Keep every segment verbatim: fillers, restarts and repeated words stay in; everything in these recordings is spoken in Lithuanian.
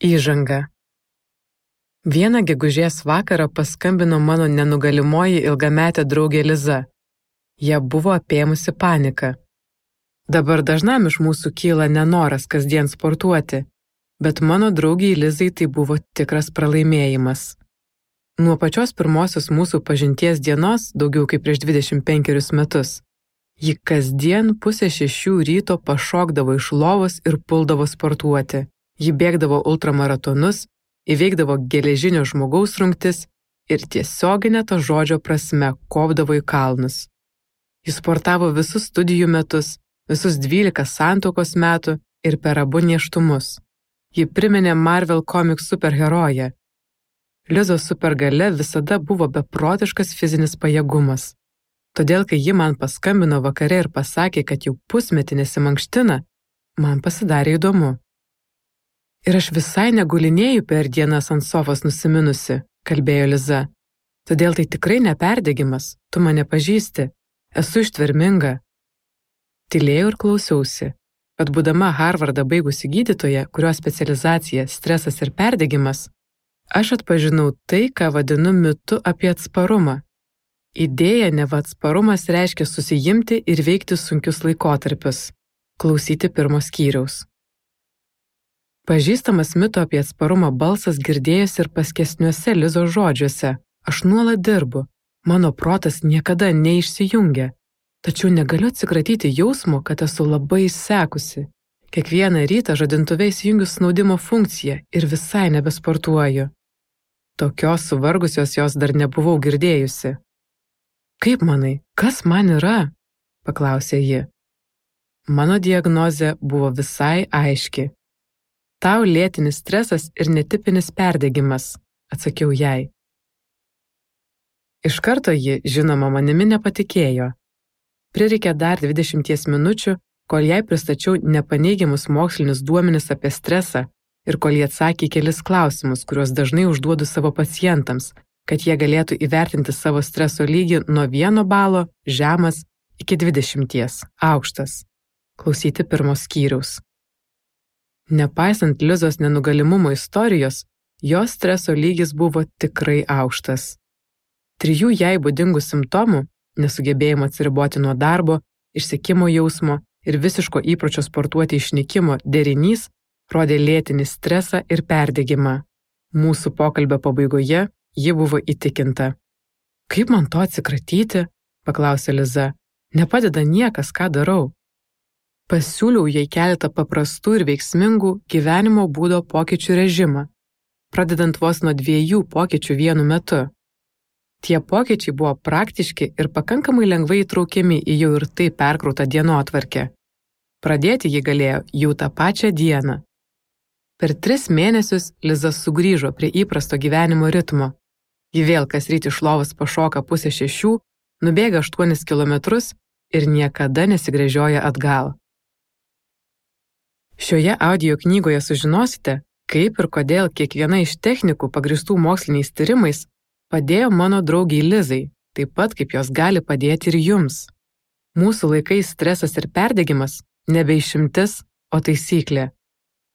Įžanga. Vieną gegužės vakarą paskambino mano nenugalimoji ilgametė draugė Liza. Ją buvo apėmusi panika. Dabar dažnam iš mūsų kyla nenoras kasdien sportuoti, bet mano draugiai Lizai tai buvo tikras pralaimėjimas. Nuo pačios pirmosios mūsų pažinties dienos, daugiau kaip prieš dvidešimt penkerius metus, ji kasdien pusę šešių ryto pašokdavo iš lovos ir puldavo sportuoti. Ji bėgdavo ultramaratonus, įveikdavo geležinio žmogaus rungtis ir tiesioginė to žodžio prasme kopdavo į kalnus. Ji sportavo visus studijų metus, visus dvylika santuokos metų ir per abu nėštumus. Ji priminė Marvel komiks superheroję. Lizos supergalia visada buvo beprotiškas fizinis pajėgumas. Todėl, kai ji man paskambino vakare ir pasakė, kad jau pusmetį nesimankština, man pasidarė įdomu. Ir aš visai negulinėju per dienas ant sofos nusiminusi, kalbėjo Liza. Todėl tai tikrai neperdegimas, tu mane pažįsti, esu ištverminga. Tylėjau ir klausiausi, kad būdama Harvardą baigusi gydytoja, kurios specializacija stresas ir perdegimas, aš atpažinau tai, ką vadinu mitu apie atsparumą. Idėja, neva atsparumas reiškia susijimti ir veikti sunkius laikotarpius, klausyti pirmo skyriaus. Pažįstamas mito apie atsparumą balsas girdėjosi ir paskesniuose Lizos žodžiuose. Aš nuolat dirbu, mano protas niekada neišsijungia, tačiau negaliu atsikratyti jausmo, kad esu labai išsekusi. Kiekvieną rytą žadintuve įsijungiu snaudimo funkciją ir visai nebesportuoju. Tokios suvargusios jos dar nebuvau girdėjusi. Kaip manai, kas man yra? Paklausė ji. Mano diagnozė buvo visai aiški. Tau lėtinis stresas ir netipinis perdegimas, atsakiau jai. Iš karto ji, žinoma, manimi nepatikėjo. Prireikė dar dvidešimties minučių, kol jai pristačiau nepaneigiamus mokslinius duomenis apie stresą ir kol jie atsakė kelis klausimus, kuriuos dažnai užduodu savo pacientams, kad jie galėtų įvertinti savo streso lygį nuo vieno balo, žemas, iki dvidešimties, aukštas. Klausyti pirmo skyriaus. Nepaisant Lizos nenugalimumo istorijos, jos streso lygis buvo tikrai aukštas. Trijų jai būdingų simptomų – nesugebėjimo atsiriboti nuo darbo, išsekimo jausmo ir visiško įpročio sportuoti išnykimo derinys rodė lėtinį stresą ir perdegimą. Mūsų pokalbio pabaigoje ji buvo įtikinta. Kaip man to atsikratyti? Paklausė Liza. Nepadeda niekas, ką darau. Pasiūliau jai keletą paprastų ir veiksmingų gyvenimo būdo pokyčių režimą, pradedant vos nuo dviejų pokyčių vienu metu. Tie pokyčiai buvo praktiški ir pakankamai lengvai įtraukiami į jau ir taip perkrautą dienotvarkę. Pradėti ji galėjo jau tą pačią dieną. Per tris mėnesius Liza sugrįžo prie įprasto gyvenimo ritmo. Ji vėl kasryt iš lovos pašoka pusę šešių, nubėga aštuonis kilometrus ir niekada nesigręžioja atgal. Šioje audio knygoje sužinosite, kaip ir kodėl kiekviena iš technikų pagrįstų moksliniais tyrimais padėjo mano draugiai Lizai, taip pat kaip jos gali padėti ir jums. Mūsų laikais stresas ir perdegimas nebe išimtis, o taisyklė.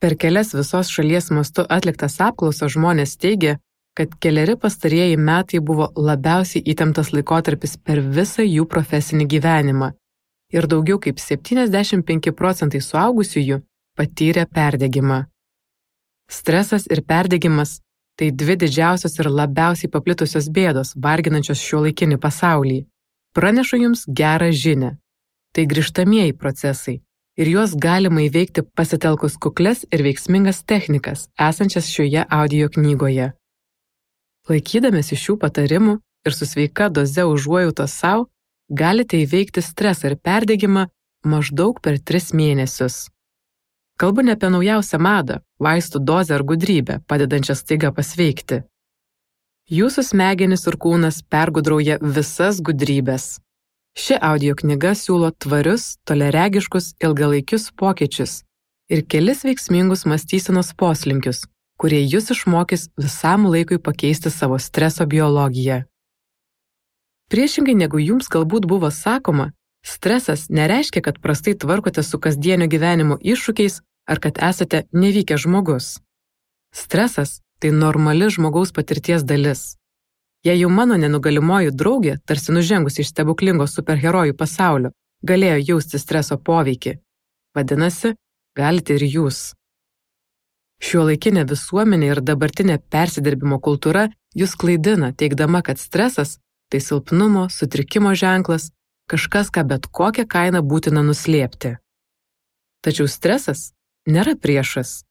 Per kelias visos šalies mastu atliktas apklausas žmonės teigia, kad keleri pastarieji metai buvo labiausiai įtemptas laikotarpis per visą jų profesinį gyvenimą ir daugiau kaip septyniasdešimt penki procentai suaugusiųjų patyrė perdegimą. Stresas ir perdegimas – tai dvi didžiausios ir labiausiai paplitusios bėdos, varginančios šiuolaikinį pasaulį. Pranešu jums gerą žinią. Tai grįžtamieji procesai ir juos galima įveikti pasitelkus kuklias ir veiksmingas technikas, esančias šioje audio knygoje. Laikydamėsi šių patarimų ir su sveika doze užuojautos sau, galite įveikti stresą ir perdegimą maždaug per tris mėnesius. Kalbu ne apie naujausią madą, vaistų dozę ar gudrybę, padedančią staiga pasveikti. Jūsų smegenys ir kūnas pergudrauja visas gudrybės. Ši audio knyga siūlo tvarius, toliaregiškus, ilgalaikius pokyčius ir kelis veiksmingus mąstysenos poslinkius, kurie jūs išmokys visam laikui pakeisti savo streso biologiją. Priešingai negu jums galbūt buvo sakoma, stresas nereiškia, kad prastai tvarkote su kasdienio gyvenimo iššūkiais ar kad esate nevykęs žmogus. Stresas – tai normali žmogaus patirties dalis. Jei jau mano nenugalimoji draugė, tarsi nužengusi iš stebuklingo superherojų pasaulio, galėjo jausti streso poveikį, vadinasi, galite ir jūs. Šiuolaikinė visuomenė ir dabartinė persidirbimo kultūra jūs klaidina, teigdama, kad stresas – tai silpnumo, sutrikimo ženklas, kažkas, ką bet kokią kainą būtina nuslėpti. Tačiau stresas nėra priešas.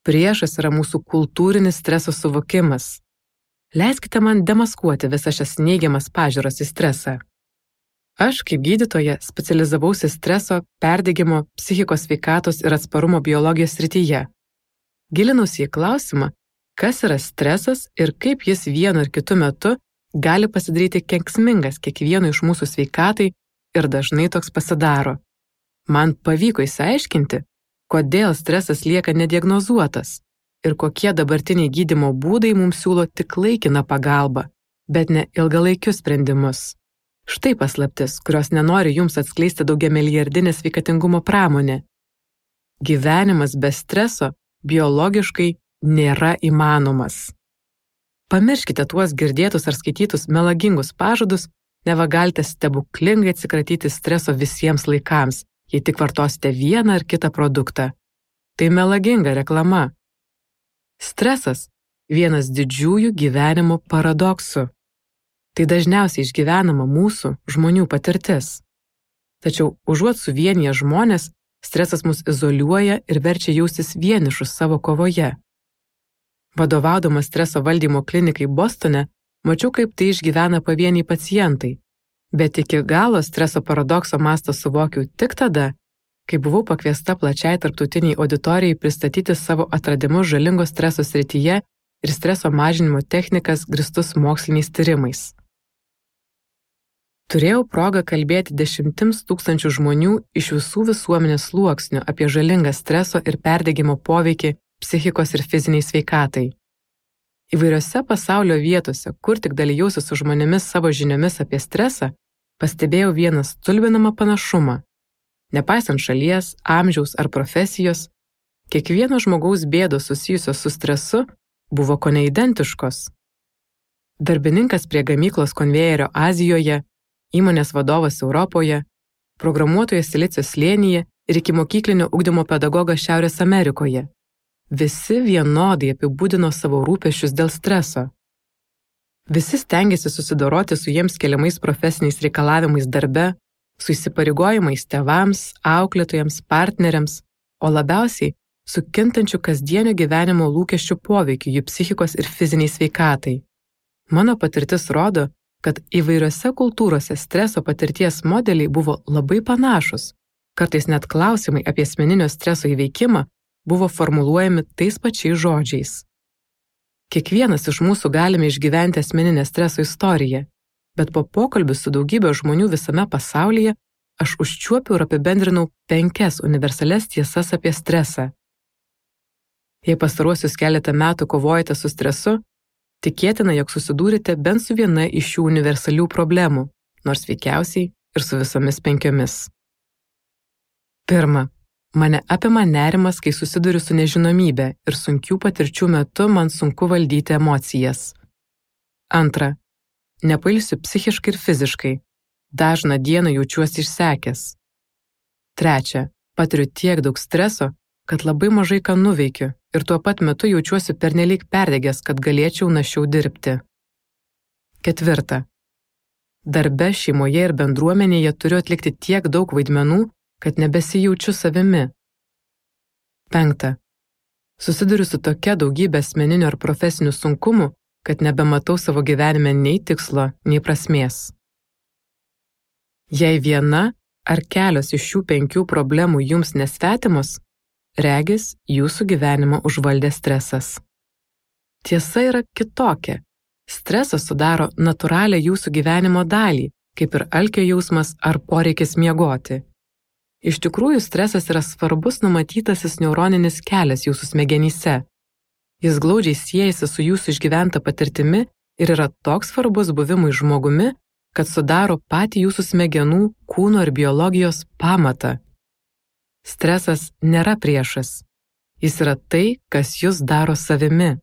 Priešas yra mūsų kultūrinis streso suvokimas. Leiskite man demaskuoti visas šias neigiamas pažiūras į stresą. Aš, kaip gydytoja, specializavausi streso, perdegimo, psichikos sveikatos ir atsparumo biologijos srityje. Gilinausi į klausimą, kas yra stresas ir kaip jis vienu ir kitu metu gali pasidaryti kenksmingas kiekvieno iš mūsų sveikatai ir dažnai toks pasidaro. Man pavyko išsiaiškinti, kodėl stresas lieka nediagnozuotas ir kokie dabartiniai gydymo būdai mums siūlo tik laikiną pagalbą, bet ne ilgalaikius sprendimus. Štai paslaptis, kurios nenori jums atskleisti daugiamilijardinė sveikatingumo pramonė. Gyvenimas be streso biologiškai nėra įmanomas. Pamirškite tuos girdėtus ar skaitytus melagingus pažadus, neva galite stebuklingai atsikratyti streso visiems laikams, jei tik vartosite vieną ar kitą produktą. Tai melaginga reklama. Stresas – vienas didžiųjų gyvenimo paradoksų. Tai dažniausiai išgyvenama mūsų žmonių patirtis. Tačiau užuot suvienyje žmonės, stresas mus izoliuoja ir verčia jaustis vienišus savo kovoje. Vadovaudamas streso valdymo klinikai Bostone, mačiau, kaip tai išgyvena pavieniai pacientai, bet iki galo streso paradokso mastą suvokiau tik tada, kai buvau pakviesta plačiai tarptautiniai auditorijai pristatyti savo atradimus žalingo streso srityje ir streso mažinimo technikas grįstus moksliniais tyrimais. Turėjau progą kalbėti dešimtims tūkstančių žmonių iš visų visuomenės sluoksnių apie žalingą streso ir perdegimo poveikį psichikos ir fiziniai sveikatai. Įvairiose pasaulio vietose, kur tik dalijausi su žmonėmis savo žiniomis apie stresą, pastebėjau vieną stulbinamą panašumą. Nepaisant šalies, amžiaus ar profesijos, kiekvieno žmogaus bėdos susijusios su stresu buvo kone identiškos. Darbininkas prie gamyklos konvejerio Azijoje, įmonės vadovas Europoje, programuotojas Silicio slėnyje ir ikimokyklinio ugdymo pedagogas Šiaurės Amerikoje. Visi vienodai apibūdino savo rūpesčius dėl streso. Visi stengiasi susidoroti su jiems keliamais profesiniais reikalavimais darbe, su įsipareigojimais tėvams, auklėtojams, partneriams, o labiausiai su kintančiu kasdienio gyvenimo lūkesčių poveikiu jų psichikos ir fiziniai sveikatai. Mano patirtis rodo, kad įvairiose kultūrose streso patirties modeliai buvo labai panašus, kartais net klausimai apie asmeninio streso įveikimą buvo formuluojami tais pačiais žodžiais. Kiekvienas iš mūsų galime išgyventi asmeninę streso istoriją, bet po pokalbių su daugybė žmonių visame pasaulyje aš užčiuopiau ir apibendrinau penkias universalias tiesas apie stresą. Jei pastaruosius keletą metų kovojate su stresu, tikėtina, jog susidūrite bent su viena iš šių universalių problemų, nors veikiausiai ir su visomis penkiomis. Pirma, mane apima nerimas, kai susiduriu su nežinomybe ir sunkių patirčių metu man sunku valdyti emocijas. Antra, nepailsiu psichiškai ir fiziškai. Dažną dieną jaučiuosi išsekęs. Trečia, patiriu tiek daug streso, kad labai mažai ką nuveikiu ir tuo pat metu jaučiuosi pernelyg perdegęs, kad galėčiau našiau dirbti. Ketvirta, darbe, šeimoje ir bendruomenėje turiu atlikti tiek daug vaidmenų, kad nebesijaučiu savimi. Penkta, susiduriu su tokia daugybė asmeninių ar profesinių sunkumų, kad nebematau savo gyvenime nei tikslo, nei prasmės. Jei viena ar kelios iš šių penkių problemų jums nesvetimos, regis jūsų gyvenimą užvaldė stresas. Tiesa yra kitokia. Stresas sudaro natūralią jūsų gyvenimo dalį, kaip ir alkio jausmas ar poreikis miegoti. Iš tikrųjų, stresas yra svarbus numatytasis neuroninis kelias jūsų smegenyse. Jis glaudžiai siejasi su jūsų išgyventa patirtimi ir yra toks svarbus buvimui žmogumi, kad sudaro patį jūsų smegenų, kūno ir biologijos pamatą. Stresas nėra priešas. Jis yra tai, kas jūs daro savimi.